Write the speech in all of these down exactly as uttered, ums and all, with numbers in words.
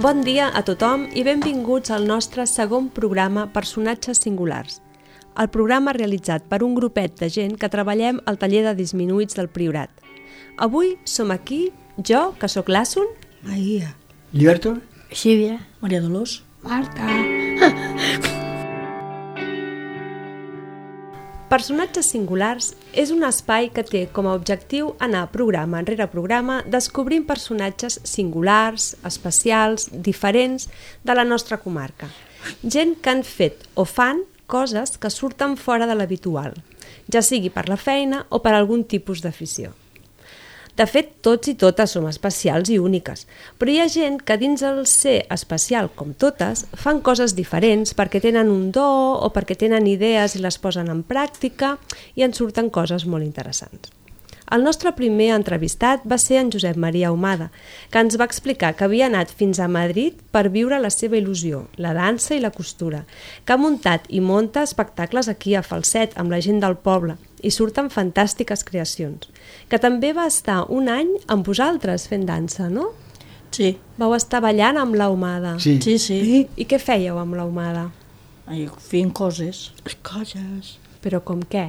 Bon dia a tothom i benvinguts al nostre segon programa Personatges Singulars, el programa realitzat per un grupet de gent que treballem al taller de disminuïts del Priorat. Avui som aquí, jo, que sóc l'Assun, Maria, Lliberto, Sílvia, Maria Dolors, Marta. Personatges Singulars és un espai que té com a objectiu anar programa enrere programa descobrint personatges singulars, especials, diferents de la nostra comarca. Gent que han fet o fan coses que surten fora de l'habitual, ja sigui per la feina o per algun tipus d'afició. De fet, tots i totes som especials i úniques, però hi ha gent que dins el ser especial com totes fan coses diferents perquè tenen un do o perquè tenen idees i les posen en pràctica i en surten coses molt interessants. El nostre primer entrevistat va ser en Josep Maria Ahumada, que ens va explicar que havia anat fins a Madrid per viure la seva il·lusió, la dansa i la costura, que ha muntat i munta espectacles aquí a Falset amb la gent del poble i surten fantàstiques creacions, que també va estar un any amb vosaltres fent dansa, no? sí, Vau estar ballant amb l'Ahumada. sí. sí, sí, I què fèieu amb l'Ahumada? Ai, fent coses, Les coses, Però com què?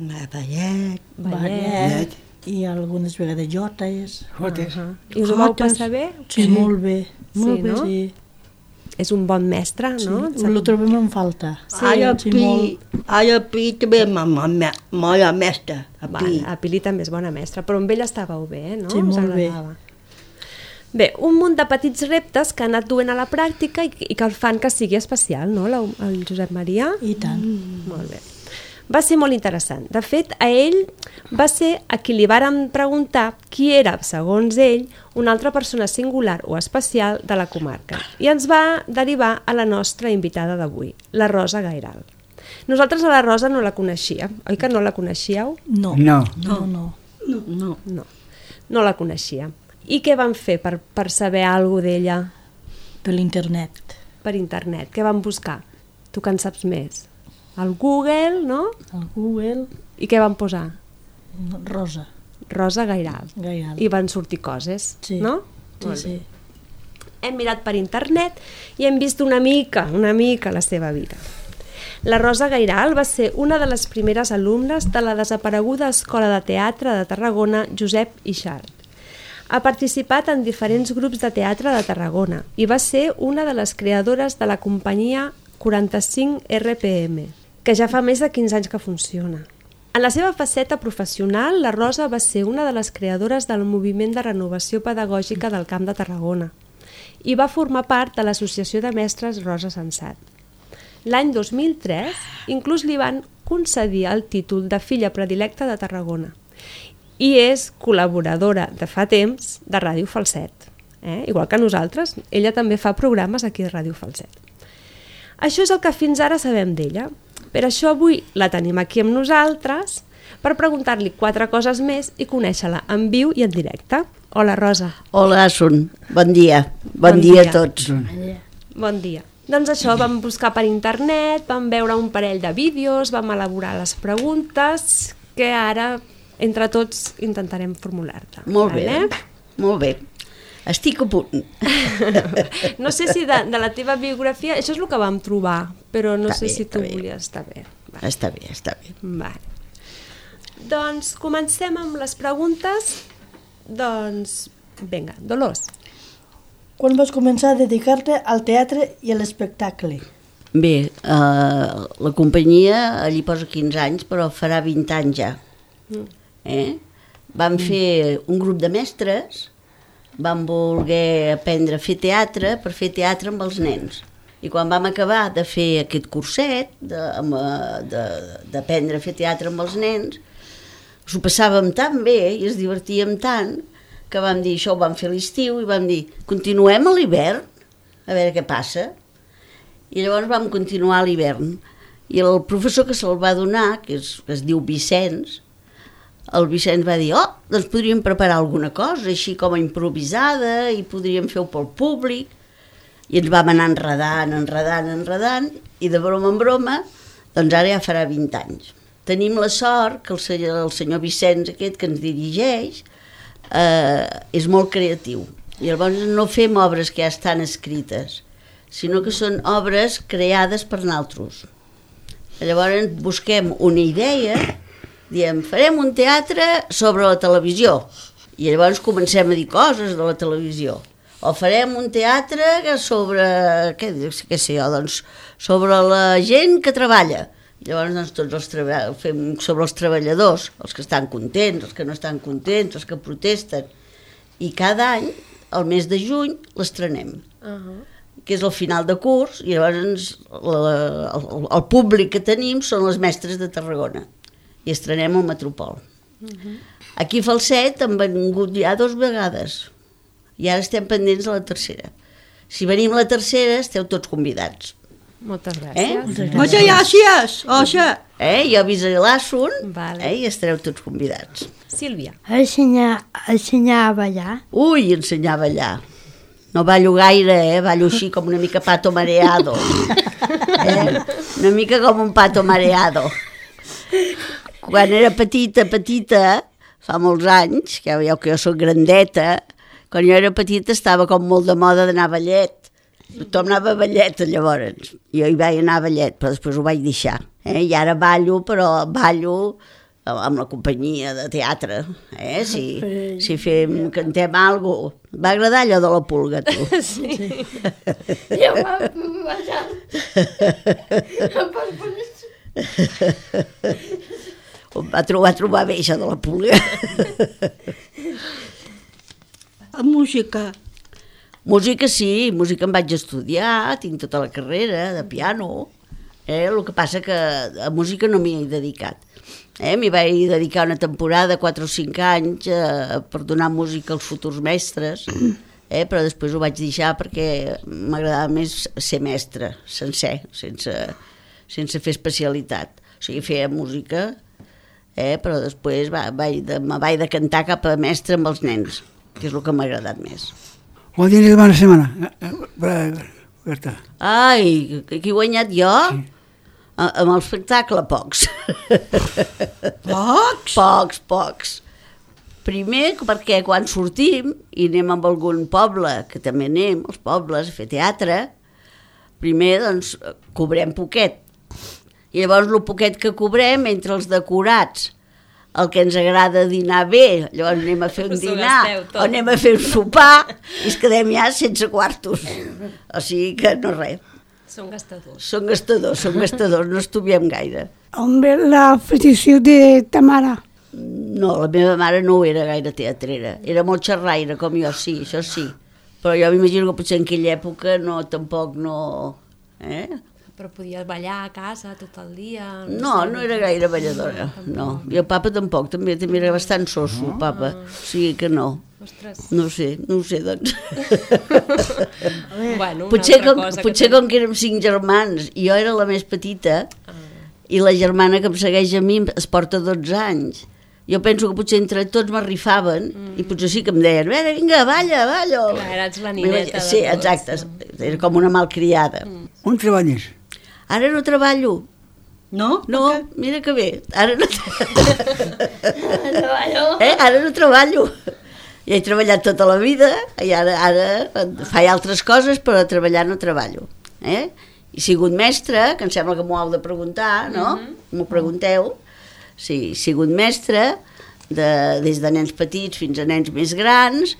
la ballet, ballet, i algunes vegades jotes, Jotes. Uh-huh. I us ho vau Jotes. passar bé? sí, molt bé, Sí, no? sí, És un bon mestre, no? sí. Lo trobem en falta, Sí, Ai, a sí, Pi, molt. ai, a Pi també ma, ma, ma, mola mestra, a Pi. Val, a Pili també és bona mestra, però amb ell estàveu bé, eh, no? Sí, Us molt bé. agradava. Bé, un munt de petits reptes que ha anat duent a la pràctica i, i que el fan que sigui especial, no, la, el Josep Maria? I tant. Mm. Molt bé. Va ser molt interessant. De fet, a ell va ser a qui li vàrem preguntar qui era, segons ell, una altra persona singular o especial de la comarca. I ens va derivar a la nostra invitada d'avui, la Rosa Gairal. Nosaltres a la Rosa no la coneixíem, oi que no la coneixíeu? No, No. no, no. No, no. No, no la coneixíem. I què van fer per, per saber alguna cosa d'ella Per l'internet. per internet? Què van buscar? Tu que en saps més? Al Google, no? Al Google, I què van posar? Rosa, Rosa Gairal. Gairal. I van sortir coses, Sí. no? Sí, Molt sí. bé. Hem mirat per internet i hem vist una mica, una mica la seva vida. La Rosa Gairal va ser una de les primeres alumnes de la desapareguda Escola de Teatre de Tarragona Josep Ixart. Ha participat en diferents grups de teatre de Tarragona i va ser una de les creadores de la companyia quaranta-cinc R P M, que ja fa més de quinze anys que funciona. En la seva faceta professional, la Rosa va ser una de les creadores del moviment de renovació pedagògica del Camp de Tarragona i va formar part de l'Associació de Mestres Rosa Sensat. L'any dos mil tres, inclús li van concedir el títol de filla predilecta de Tarragona i és col·laboradora de fa temps de Ràdio Falset. Eh? Igual que nosaltres, ella també fa programes aquí a Ràdio Falset. Això és el que fins ara sabem d'ella. Per això avui la tenim aquí amb nosaltres per preguntar-li quatre coses més i conèixer-la en viu i en directe. Hola, Rosa. Hola, Asun. Bon dia. Bon, Bon dia dia. a tots. Bon dia. Doncs això, vam buscar per internet, vam veure un parell de vídeos, vam elaborar les preguntes que ara, entre tots, intentarem formular-te. Molt bé, vale? molt bé. Estic a punt. No sé si de, de la teva biografia, això és el que vam trobar, però no Està sé bé, si tu està bé. volies estar bé. Va. Està bé, està bé. Vale. Doncs comencem amb les preguntes. Doncs, vinga, Dolors. Quan vas començar a dedicar-te al teatre i a l'espectacle? Bé, eh, la companyia allí posa quinze anys, però farà vint anys ja. Eh? Vam fer un grup de mestres, vam voler aprendre a fer teatre per fer teatre amb els nens. I quan vam acabar de fer aquest curset, d'aprendre a fer teatre amb els nens, s'ho passàvem tan bé i es divertíem tant que vam dir, això ho vam fer a l'estiu i vam dir, continuem a l'hivern, a veure què passa. I llavors vam continuar a l'hivern. I el professor que se'l va donar, que es, que es diu Vicenç, el Vicenç va dir, oh, doncs podríem preparar alguna cosa, així com a improvisada, i podríem fer-ho pel públic. I ens vam anar enredant, enredant, enredant, i de broma en broma, doncs ara ja farà vint anys. Tenim la sort que el senyor, el senyor Vicenç aquest que ens dirigeix eh, és molt creatiu I llavors no fem obres que ja estan escrites, sinó que són obres creades per nosaltres. Llavors busquem una idea, diem, farem un teatre sobre la televisió, i llavors comencem a dir coses de la televisió. O farem un teatre sobre, què, què sé jo, doncs, sobre la gent que treballa. Llavors doncs, tots els treba- fem sobre els treballadors, els que estan contents, els que no estan contents, els que protesten. I cada any, al mes de juny, l'estrenem. Uh-huh. Que és el final de curs, i llavors la, el, el públic que tenim són les mestres de Tarragona. I estrenem al Metropol. Uh-huh. Aquí a Falset han vengut ja dos vegades. I ara estem pendents de la tercera. Si venim la tercera, esteu tots convidats. Moltes gràcies. Eh? Moltes gràcies, Oxa. Eh? Jo avisaré l'Assun, Vale. eh? I estareu tots convidats. Sílvia. Ensenyar, ensenyar a ballar. Ui, ensenyar a ballar. No ballo gaire, eh? Ballo així com una mica pato mareado. Eh? Una mica com un pato mareado. Quan era petita, petita, fa molts anys, que ja veieu que jo soc grandeta, quan jo era petita estava com molt de moda d'anar a ballet. Tothom anava a ballet llavors. Jo hi vaig anar a ballet, però després ho vaig deixar. Eh? I ara ballo, però ballo amb la companyia de teatre. Eh? Si, si fem, cantem alguna cosa. Va agradar allò de la pulga, tu? Sí. Jo va ballar. Em va trobar, trobar bé això de la pulga. La música. Música sí, música em vaig estudiar, tinc tota la carrera de piano. Eh? El que passa que a música no m'hi he dedicat. Eh? M'hi vaig dedicar una temporada, quatre o cinc anys, eh, per donar música als futurs mestres, eh? Però després ho vaig deixar perquè m'agradava més ser mestre, sencer, sense, sense fer especialitat. O sigui, feia música, eh? Però després va, vaig de, me vaig de cantar cap a mestre amb els nens, que és el que m'ha agradat més. ¿Cuál tienes de buena semana? Berta. Ai, qui he guanyat jo? Sí. A, amb el espectacle, pocs. Pocs? Pocs, pocs. Primer perquè quan sortim i anem amb algun poble, que també anem, als pobles, a fer teatre, primer, doncs, cobrem poquet. I llavors, el poquet que cobrem, entre els decorats, el que ens agrada dinar bé, llavors anem a fer un Us ho dinar, gasteu tot. o anem a fer un sopar, i es quedem ja sense quartos. O sigui que no res. Són gastadors. Són gastadors, són gastadors, no estudiem gaire. On ve la petició de ta mare? No, la meva mare no era gaire teatrera, era molt xerraire, com jo, sí, això sí. Però jo m'imagino que potser en aquella època no, tampoc no... Eh? Però podies ballar a casa tot el dia? No, no era gaire balladora, no. I el papa tampoc, també, també era bastant soso, el papa, o sigui que no. Ostres. No ho sé, no ho sé, doncs. Bueno, una Potser, altra com, cosa potser que com que érem cinc germans, i jo era la més petita, Ah. i la germana que em segueix a mi es porta dotze anys. Jo penso que potser entre tots m'arrifaven, mm. i potser sí que em deien, "Vera, vinga, balla, balla". Clar, eres la nineta de Sí, tots, exacte, no? era com una malcriada. Mm. On treballes? Ara no treballo. No? No, Per què? mira que bé, ara no, eh? Ara no treballo. Ja he treballat tota la vida i ara, ara faig altres coses, però a treballar no treballo. Eh? He sigut mestra, que em sembla que m'ho heu de preguntar, no? Mhm. M'ho pregunteu. Sí, he sigut mestra de, des de nens petits fins a nens més grans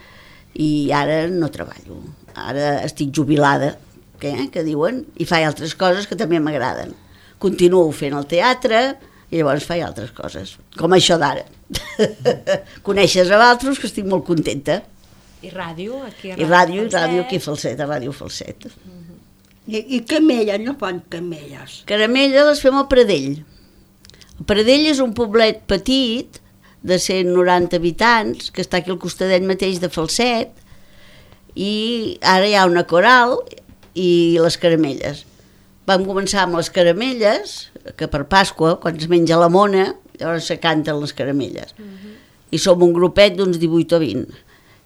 i ara no treballo. Ara estic jubilada, que, que diuen, i faig altres coses que també m'agraden. Continuo fent el teatre i llavors faig altres coses, com això d'ara. Coneixes a altres, que estic molt contenta. I ràdio, aquí a I ràdio, i Falset. ràdio aquí a Falset, a Ràdio Falset. I, i camelles, no fan camelles. Caramella les fem al Pradell. El Pradell és un poblet petit, de cent noranta habitants, que està aquí al costadet mateix de Falset, i ara hi ha una coral i les caramelles. Vam començar amb les caramelles, que per Pasqua, quan es menja la mona, llavors se canten les caramelles. Uh-huh. I som un grupet d'uns divuit o vint.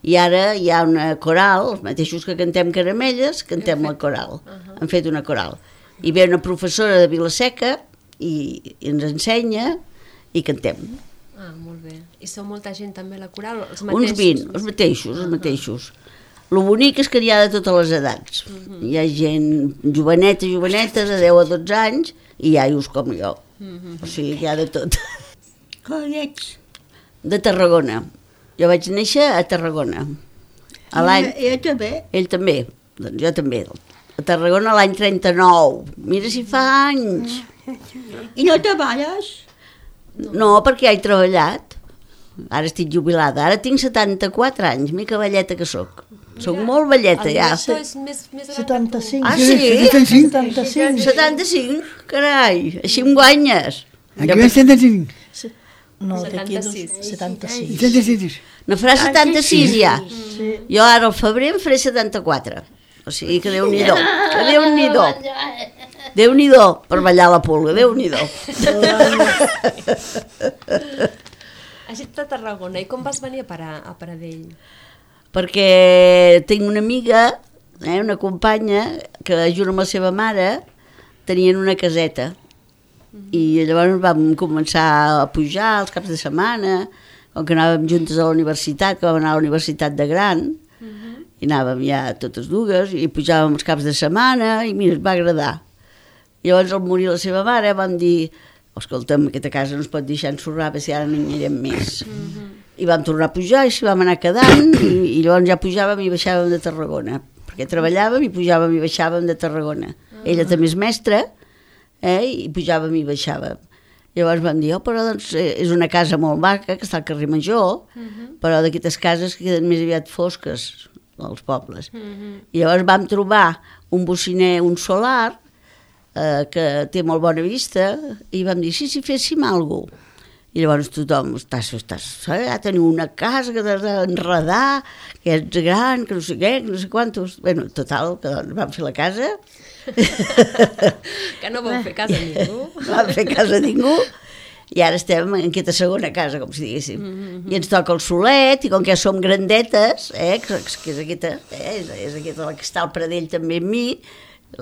I ara hi ha una coral, els mateixos que cantem caramelles, cantem la coral. Uh-huh. Han fet una coral. I ve una professora de Vila-seca i, i ens ensenya i cantem. Ah, molt bé. I són molta gent també a la coral? Els Uns mateixos? vint, els mateixos, els mateixos. El bonic és que n'hi ha de totes les edats. Uh-huh. Hi ha gent joveneta, joveneta, de deu a dotze anys, i iaios com jo. Uh-huh. O sigui, hi ha de tot. Com ets? De Tarragona. Jo vaig néixer a Tarragona. A l'any... I ell també? Ell també, doncs jo també. A Tarragona l'any trenta-nou. Mira si fa anys. I no treballes? No, perquè ja he treballat. Ara estic jubilada. Ara tinc setanta-quatre anys, mica velleta que sóc. Soc molt velleta, ja. El director és més, més gran setanta-cinc. Ah, sí? setanta-cinc. setanta-cinc? Carai, així em guanyes. Aquí ve setanta-cinc. No, d'aquí dos, setanta-sis. setanta-sis. setanta-sis. Ne farà setanta-sis ja. Sí. Jo ara al febrer em faré setanta-quatre. O sigui que Déu-n'hi-do, que Déu-n'hi-do. Déu-n'hi-do per ballar la pulga, Déu-n'hi-do. Has dit a Tarragona, i com vas venir a parar a Pradell? Perquè tinc una amiga, eh, una companya, que junt amb la seva mare tenien una caseta. I llavors vam començar a pujar els caps de setmana, com que anàvem juntes a la universitat, que vam anar a la universitat de Gran, i anàvem ja totes dues, i pujàvem els caps de setmana, i mira, ens va agradar. I llavors, al morir la seva mare, vam dir, escolta'm, aquesta casa no es pot deixar ensorrar, perquè si ara no hi anirem més. I vam tornar a pujar, i s'hi vam anar quedant, i, i llavors ja pujàvem i baixàvem de Tarragona, perquè treballàvem i pujàvem i baixàvem de Tarragona. Ella també és mestra, eh, i pujàvem i baixàvem. Llavors vam dir, oh, però doncs és una casa molt maca, que està al carrer Major, però d'aquestes cases que queden més aviat fosques, als pobles. I llavors vam trobar un bociner, un solar, eh, que té molt bona vista, i vam dir, sí, si féssim alguna cosa. I llavors tothom, estàs, estàs, eh, ja teniu una casa que t'has d'enredar, que ets gran, que no sé què, que no sé quantos... Bueno, total, que doncs vam fer la casa. Que no vau fer casa a ningú. No vam fer casa a ningú. I ara estem en aquesta segona casa, com si diguéssim. Mm-hmm. I ens toca el solet, i com que ja som grandetes, eh, que, que és aquesta, eh, és, és aquesta la que està al Pradell també amb mi,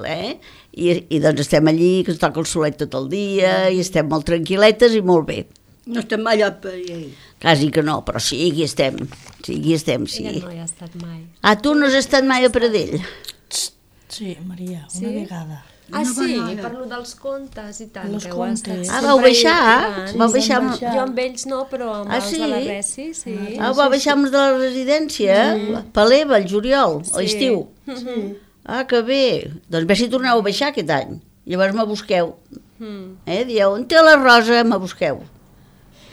eh, i, i doncs estem allí, que ens toca el solet tot el dia, i estem molt tranquil·letes i molt bé. No estem mai a Pradell. Quasi que no, però sí, aquí estem. Sí, aquí estem, sí. Ella no hi ha estat mai. Ah, tu no has estat mai a Pradell? Sí, Maria, una Sí? vegada. Ah, sí, parlo dels contes i tant. Los que heu estat contes. Ah, sempre vau baixar? hi- Sí, vau baixar amb... baixar. Jo amb ells no, però amb Ah, els sí? de la Resi, sí. Ah, vau baixar amb els de la residència? Mm. Paleva, el juliol, a l'estiu. Sí. Ah, que bé. Doncs bé si torneu a baixar aquest any. Llavors me busqueu. Mm. Eh? Dieu, on té la Rosa? Me busqueu.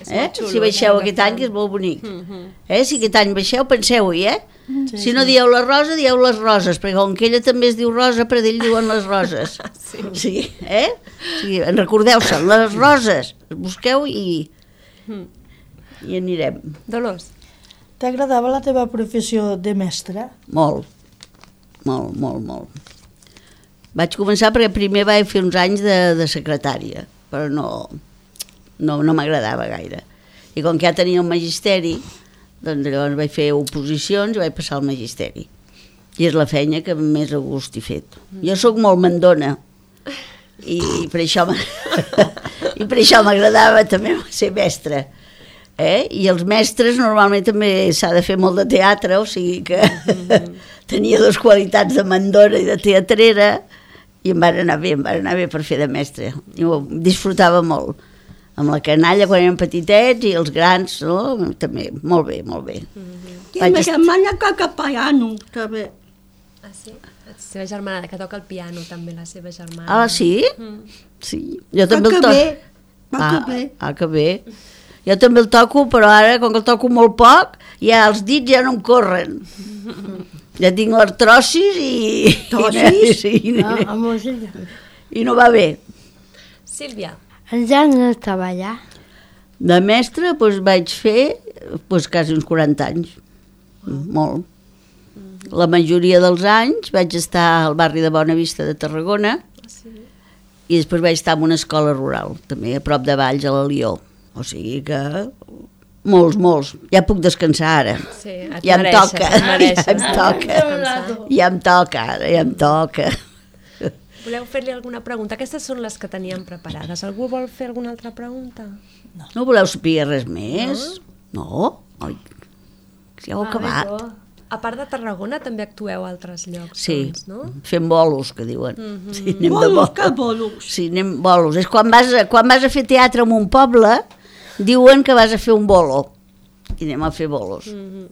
És Eh? molt xulo, Si baixeu eh, aquest agafant. any, que és molt bonic. Mhm. Eh? Si aquest any baixeu, penseu-hi, eh? Sí, Si no dieu la Rosa, dieu les Roses, perquè com que ella també es diu Rosa, per ell diuen les Roses. Sí. Sí, eh? Sí, en recordeu-se, les Roses. Busqueu i... i anirem. Dolors. T'agradava la teva professió de mestra? Molt, molt, molt, molt. Vaig començar perquè primer vaig fer uns anys de, de secretària, però no, no, no m'agradava gaire. I com que ja tenia el magisteri, doncs llavors vaig fer oposicions i vaig passar al magisteri. I és la feina que més a gust he fet. Jo sóc molt mandona i, i per això m'a- i per això m'agradava també ser mestra. Eh? I els mestres normalment també s'ha de fer molt de teatre, o sigui que tenia dues qualitats de mandona i de teatrera i em van anar bé, em van anar bé per fer de mestre. I ho disfrutava molt. Amb la canalla quan érem petitets i els grans, no? També, molt bé, molt bé. I Vaig ma est- germana toca piano, també. Ah, sí? La seva germana, que toca el piano, també, la seva germana. Ah, sí? Sí. Jo també Va el que toco. bé, va Ah, que bé. ah, que bé. Jo també el toco, però ara, com que el toco molt poc, ja els dits ja no em corren. Ja tinc l'artrosis i... Artrosis? I, i, Ah, amb música. i no va bé. Sílvia. Ja no estava allà. De mestre doncs, vaig fer doncs, quasi uns quaranta anys. Molt. La majoria dels anys vaig estar al barri de Bonavista de Tarragona i després vaig estar en una escola rural, també a prop de Valls, a la Lió. O sigui que molts, molts. Ja puc descansar ara. Sí, et Ja em mereixes, toca, et mereixes. ja em toca. Descansar. Ja em toca ara, ja em toca. Voleu fer-li alguna pregunta? Aquestes són les que teníem preparades. Algú vol fer alguna altra pregunta? No voleu saber res més? No? Oi, ja heu acabat. A part de Tarragona també actueu a altres llocs, Sí, doncs, no? fem bolos, que diuen. Mhm. Sí, anem de Bolos, bolos. que bolos? Sí, anem bolos. És quan vas, a, quan vas a fer teatre en un poble, diuen que vas a fer un bolo. I anem a fer bolos. Mhm.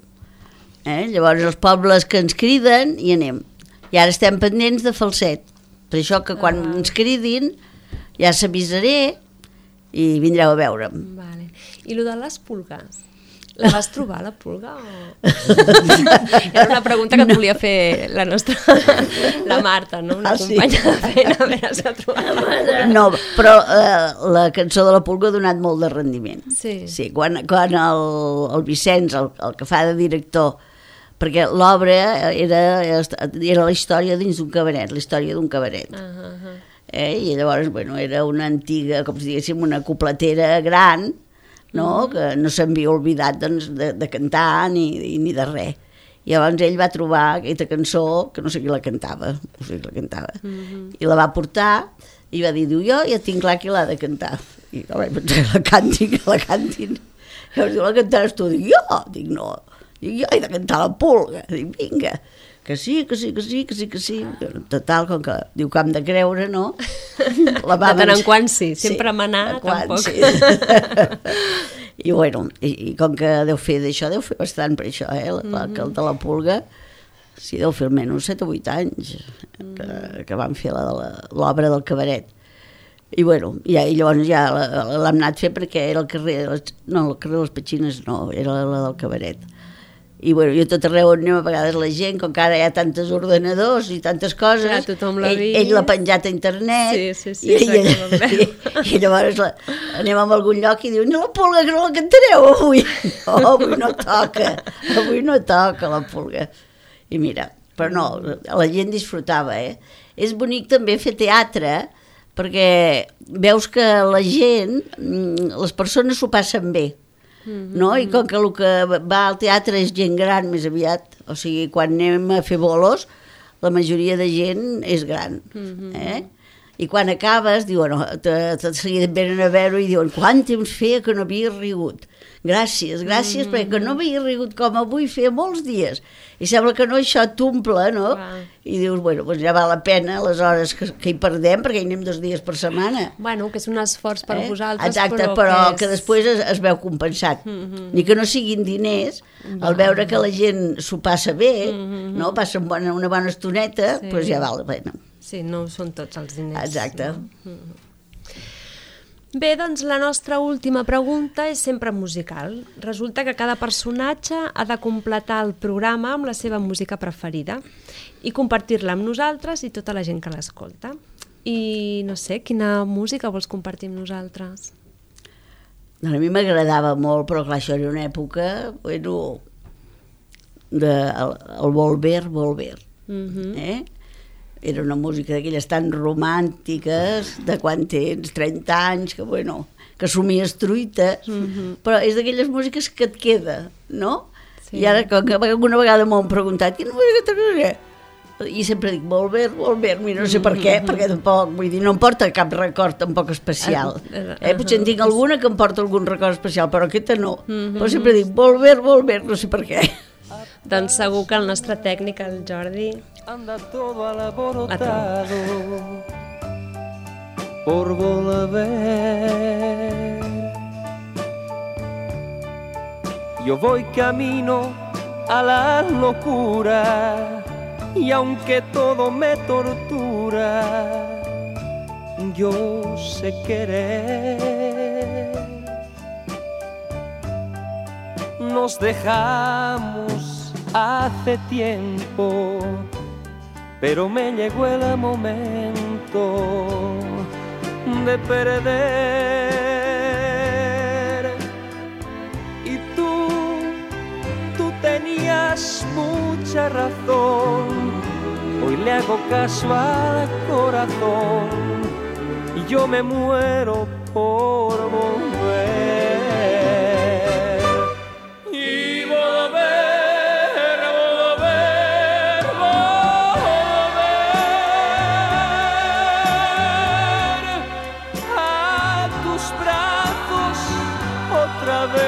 Eh? Llavors els pobles que ens criden hi anem. I ara estem pendents de Falset. Per això que quan Ah. ens cridin ja s'avisaré i vindreu a veure'm. Vale. I lo de les pulgues? La vas trobar, la pulga? O... Era una pregunta que et volia fer la nostra... la Marta, no? Una Ah, sí? companya de feina, a veure si ha trobat la pulga. No, però eh, la cançó de la Pulga ha donat molt de rendiment. Sí. Sí, quan, quan el, el Vicenç, el, el que fa de director, perquè l'obra era, era la història dins d'un cabaret, la història d'un cabaret. Uh -huh. Eh? I llavors, bueno, era una antiga, com si diguéssim, una copletera gran, no? Mm. Que no s'havia oblidat doncs, de, de cantar ni, ni de res. I llavors ell va trobar aquesta cançó, que no sé qui la cantava, no sé qui la cantava, mm -hmm. i la va portar i va dir, diu, jo ja tinc clar qui l'ha de cantar. I jo vaig pensar que la cantin, que la cantin. Llavors diu, la cantaràs tu? Dic, jo? Dic, no. Dic, jo he de cantar la Pulga. Dic, vinga. Que sí, que sí, que sí, que sí, que sí. Total, com que diu que hem de creure, no? La De tant en quant sí, sempre manar, tampoc. Sí. I bueno, i, i com que deu fer d'això, deu fer bastant per això, eh? La, la, que el de la Pulga, sí, deu fer almenys set o vuit anys que, que van fer l'obra del cabaret. I bueno, ja, i llavors ja l'hem anat a fer perquè era el carrer, de les, no, el carrer de les Petxines no, era la del cabaret. I bueno, jo tot arreu on anem a vegades la gent, com que ara hi ha tantes ordenadors i tantes coses, Clar, tothom l'ha ell, vist. ell l'ha penjat a internet, Sí, sí, sí, i, i, exacte, i, i llavors la, anem a algun lloc i diu, no, la Pulga, que no la cantareu avui. No, avui no toca, avui no toca la Pulga. I mira, però no, la gent disfrutava, eh? És bonic també fer teatre, perquè veus que la gent, les persones s'ho passen bé, no? I com que el que va al teatre és gent gran més aviat, o sigui, quan anem a fer bolos, la majoria de gent és gran, eh? I quan acabes, diuen, tot seguit venen a veure i diuen, quant temps feia que no havia rigut. Gràcies, gràcies, mm -hmm. perquè no havia rigut com avui, feia molts dies. I sembla que no, això t'omple, no? Wow. I dius, bueno, doncs ja val la pena les hores que, que hi perdem, perquè hi anem dos dies per setmana. Bueno, que és un esforç per Eh? vosaltres, Exacte, però, però que, que, és... després es, es veu compensat. Mm -hmm. Ni que no siguin diners, al veure que la gent s'ho passa bé, mm -hmm. no? Passa una bona, una bona estoneta, Sí. doncs ja val la pena. Sí, no són tots els diners. Exacte. No? Bé, doncs la nostra última pregunta és sempre musical. Resulta que cada personatge ha de completar el programa amb la seva música preferida i compartir-la amb nosaltres i tota la gent que l'escolta. I no sé, quina música vols compartir amb nosaltres? Doncs a mi m'agradava molt, però clar, això era una època, bueno, de, el, el Volver, Volver, Mhm. eh? Era una música d'aquelles tan romàntiques, de quan tens trenta anys, que bueno, que somies truites, Mhm. però és d'aquelles músiques que et queda, no? Sí. I ara, com que alguna vegada m'ho han preguntat, quina música t'agrada? I sempre dic, Volver, Volver, no sé per què, perquè tampoc, vull dir, no em porta cap record tampoc especial. Eh? Potser en tinc alguna que em porta algun record especial, però aquesta no. Però sempre dic, Volver, Volver, no sé per què. Doncs segur que el nostre tècnic, el Jordi, Anda todo alborotado por volver. Yo voy camino a la locura y aunque todo me tortura, yo sé querer. Nos dejamos hace tiempo, pero me llegó el momento de perder. Y tú, tú tenías mucha razón, hoy le hago caso al corazón y yo me muero por volver. Y volver, volver, volver a tus brazos otra vez.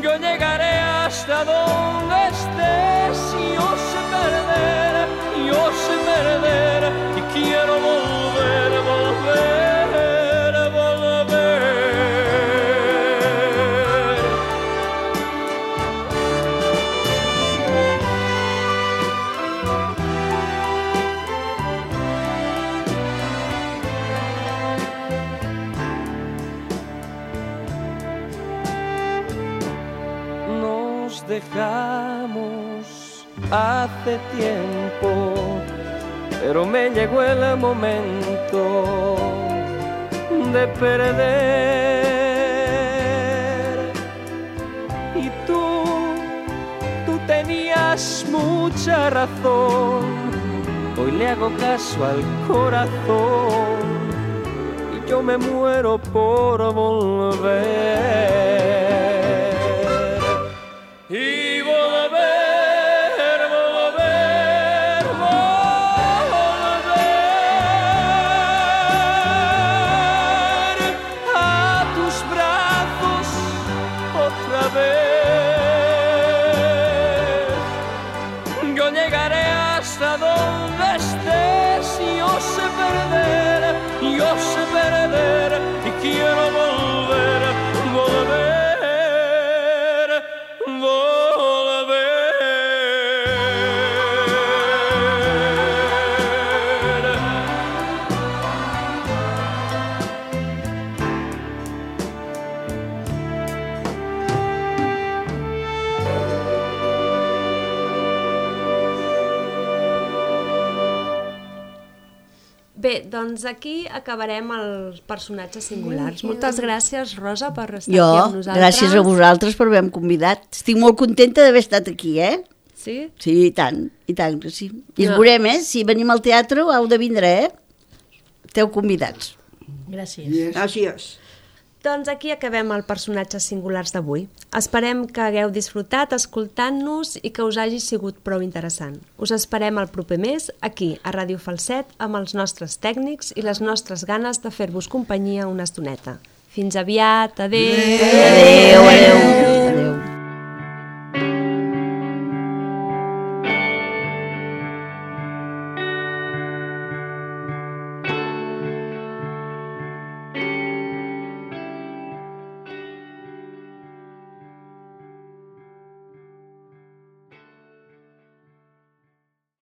Yo llegué dejamos hace tiempo, pero me llegó el momento de perder. Y tú, tú tenías mucha razón, hoy le hago caso al corazón y yo me muero por volver. Y volver, volver, volver a tus brazos otra vez. Yo llegaré hasta donde estés, yo sé perder, yo sé perder y quiero volver, volver. Bé, doncs aquí acabarem els personatges singulars. Moltes gràcies, Rosa, per estar Jo, aquí amb nosaltres. gràcies a vosaltres per haver-me convidat. Estic molt contenta d'haver estat aquí, eh? Sí? Sí, i tant, i tant que sí. I ens No. veurem, eh? Si venim al teatre heu de vindre, eh? Esteu convidats. Gràcies. Yes. Gràcies. Doncs aquí acabem els personatges singulars d'avui. Esperem que hagueu disfrutat escoltant-nos i que us hagi sigut prou interessant. Us esperem el proper mes aquí, a Ràdio Falset, amb els nostres tècnics i les nostres ganes de fer-vos companyia una estoneta. Fins aviat, adéu! Adéu, adéu. Adéu.